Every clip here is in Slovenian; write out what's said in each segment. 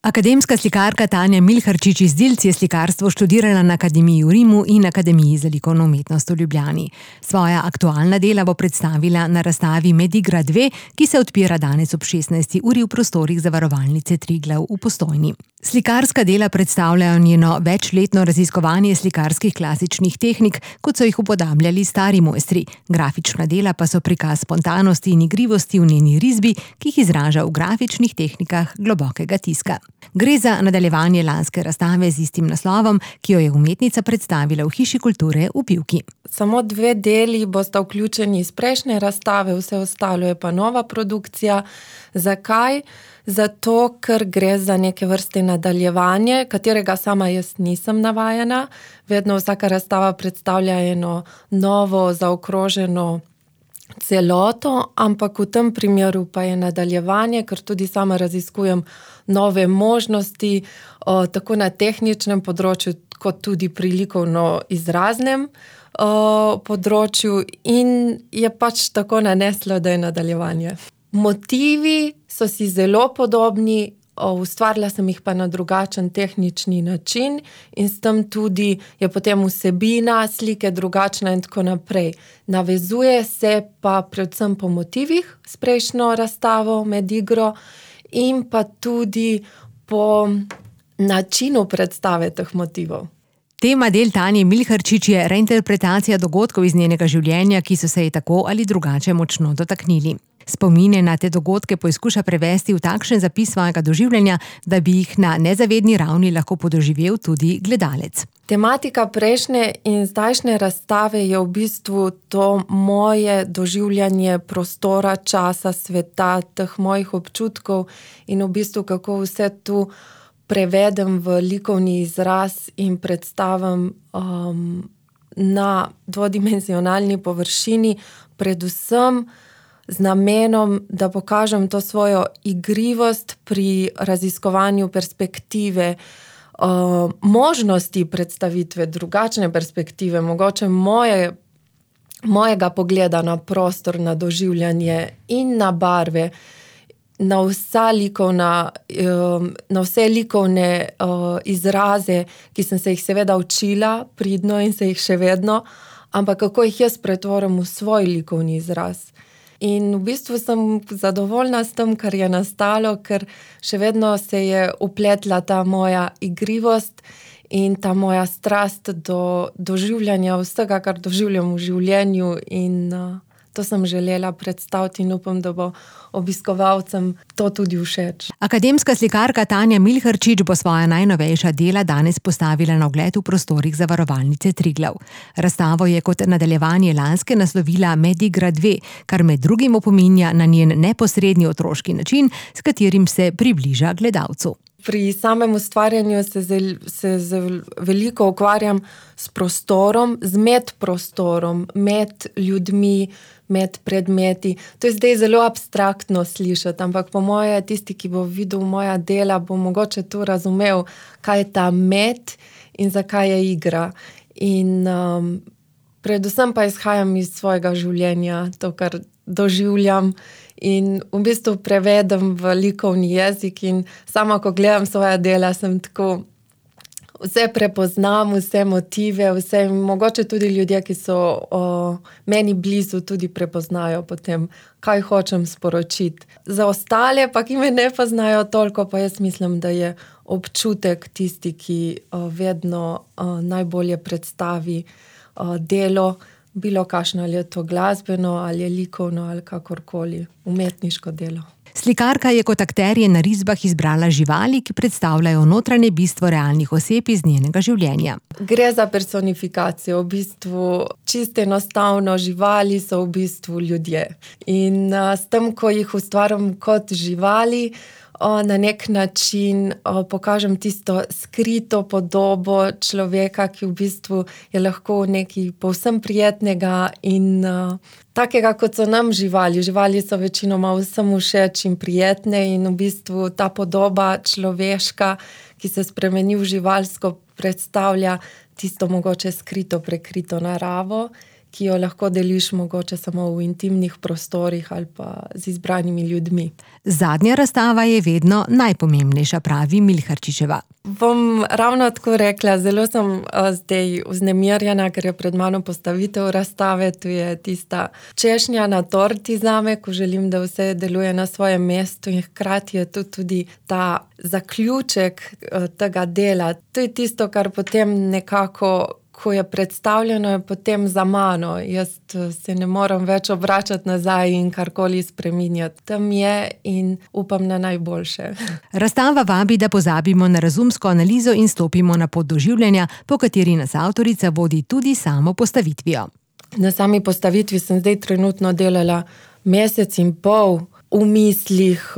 Akademska slikarka Tanja Milharčič iz Dilc je slikarstvo študirala na Akademiji v Rimu in Akademiji za likovno umetnost v Ljubljani. Svoja aktualna dela bo predstavila na razstavi Medigra 2, ki se odpira danes ob 16. uri v prostorih Zavarovalnice Triglav v Postojni. Slikarska dela predstavljajo njeno večletno raziskovanje slikarskih klasičnih tehnik, kot so jih upodabljali stari mojstri. Grafična dela pa so prikaz spontanosti in igrivosti v njeni risbi, ki jih izraža v grafičnih tehnikah globokega tiska. Gre za nadaljevanje lanske razstave z istim naslovom, ki jo je umetnica predstavila v Hiši kulture v Pivki. Samo 2 deli bosta vključeni iz prejšnje razstave, vse ostalo je pa nova produkcija. Zakaj? Zato, ker gre za neke vrste nadaljevanje, katerega sama jaz nisem navajena. Vedno vsaka razstava predstavlja eno novo, zaokroženo celoto, ampak v tem primeru pa je nadaljevanje, ker tudi sama raziskujem nove možnosti, tako na tehničnem področju, kot tudi pri likovno izraznem področju, in je pač tako naneslo, da je nadaljevanje. Motivi so si zelo podobni, ustvarila sem jih pa na drugačen tehnični način in s tem tudi je potem vsebina slike drugačna in tako naprej. Navezuje se pa predvsem po motivih s prejšnjo razstavo Medigro in pa tudi po načinu predstave teh motivov. Tema del Tanje Milharčič je reinterpretacija dogodkov iz njenega življenja, ki so se ji tako ali drugače močno dotaknili. Spomine na te dogodke poizkuša prevesti v takšen zapis svojega doživljanja, da bi jih na nezavedni ravni lahko podoživel tudi gledalec. Tematika prejšnje in zdajšnje razstave je v bistvu to moje doživljanje prostora, časa, sveta, teh mojih občutkov in v bistvu kako vse tu prevedem v likovni izraz in predstavim na dvodimenzionalni površini, predvsem z namenom, da pokažem to svojo igrivost pri raziskovanju perspektive, možnosti predstavitve, drugačne perspektive, mogoče mojega pogleda na prostor, na doživljanje in na barve, na vse likovne izraze, ki sem se jih seveda učila pridno in se jih še vedno, ampak kako jih jaz pretvorim v svoj likovni izraz. In v bistvu sem zadovoljna s tem, kar je nastalo, ker še vedno se je upletla ta moja igrivost in ta moja strast do doživljanja vsega, kar doživljam v življenju, in to sem želela predstaviti in upam, da bo obiskovalcem to tudi všeč. Akademska slikarka Tanja Milharčič bo svoja najnovejša dela danes postavila na ogled v prostorih Zavarovalnice Triglav. Razstavo je kot nadaljevanje lanske naslovila Medigra 2, kar med drugim opominja na njen neposredni otroški način, s katerim se približa gledalcu. Pri samem ustvarjanju se veliko ukvarjam s prostorom, z medprostorom, med ljudmi, med predmeti. To je zdaj zelo abstraktno slišati, ampak po moje tisti, ki bo videl moja dela, bo mogoče tu razumel, kaj je ta med in zakaj je igra. In predvsem pa izhajam iz svojega življenja, to, kar doživljam, in v bistvu prevedem v likovni jezik in sama, ko gledam svoja dela, sem tako, vse prepoznam, vse motive, vse, mogoče tudi ljudje, ki so meni blizu, tudi prepoznajo potem, kaj hočem sporočiti. Za ostale pa, ki me ne poznajo toliko, pa jaz mislim, da je občutek tisti, ki vedno najbolje predstavi delo, bilo kakšno, ali je to glasbeno, ali je likovno, ali kakorkoli, umetniško delo. Slikarka je kot akterje na risbah izbrala živali, ki predstavljajo notranje bistvo realnih oseb iz njenega življenja. Gre za personifikacijo, v bistvu čisto enostavno, živali so v bistvu ljudje. In s tem, ko jih ustvarjam kot živali, na nek način pokažem tisto skrito podobo človeka, ki v bistvu je lahko nekaj povsem prijetnega in takega, kot so nam živali. Živali so večinoma vsem všeč in prijetne in v bistvu ta podoba človeška, ki se spremeni v živalsko, predstavlja tisto mogoče skrito, prekrito naravo, ki jo lahko deliš mogoče samo v intimnih prostorih ali pa z izbranimi ljudmi. Zadnja razstava je vedno najpomembnejša, pravi Milharčičeva. Bom ravno tako rekla, zelo sem zdaj vznemirjena, ker je pred mano postavitev razstave. Tu je tista češnja na torti zame, ko želim, da vse deluje na svojem mestu, in hkrati je tu tudi ta zaključek tega dela. To je tisto, kar potem nekako, ko je predstavljeno, je potem za mano. Jaz se ne morem več obračati nazaj in karkoli spreminjati. Tam je in upam na najboljše. Razstava vabi, da pozabimo na razumsko analizo in stopimo na pot doživljanja, po kateri nas avtorica vodi tudi samo postavitvijo. Na sami postavitvi sem zdaj trenutno delala 1,5 meseca v mislih,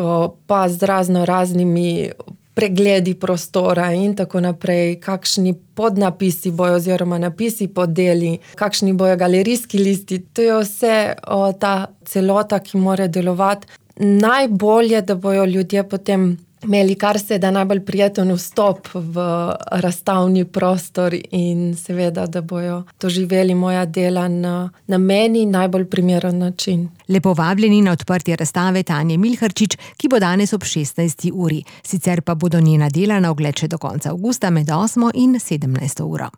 pa z raznimi pregledi prostora in tako naprej, kakšni podnapisi bojo oziroma napisi pod deli, kakšni bojo galerijski listi. To je vse ta celota, ki mora delovati. Najbolje, da bojo ljudje potem imeli kar se da najbolj prijeten vstop v razstavni prostor in seveda, da bojo doživeli moja dela na meni najbolj primeren način. Lepo vabljeni na odprtje razstave Tanje Milharčič, ki bo danes ob 16. uri. Sicer pa bodo njena dela na ogled še do konca avgusta med 8. in 17. uro.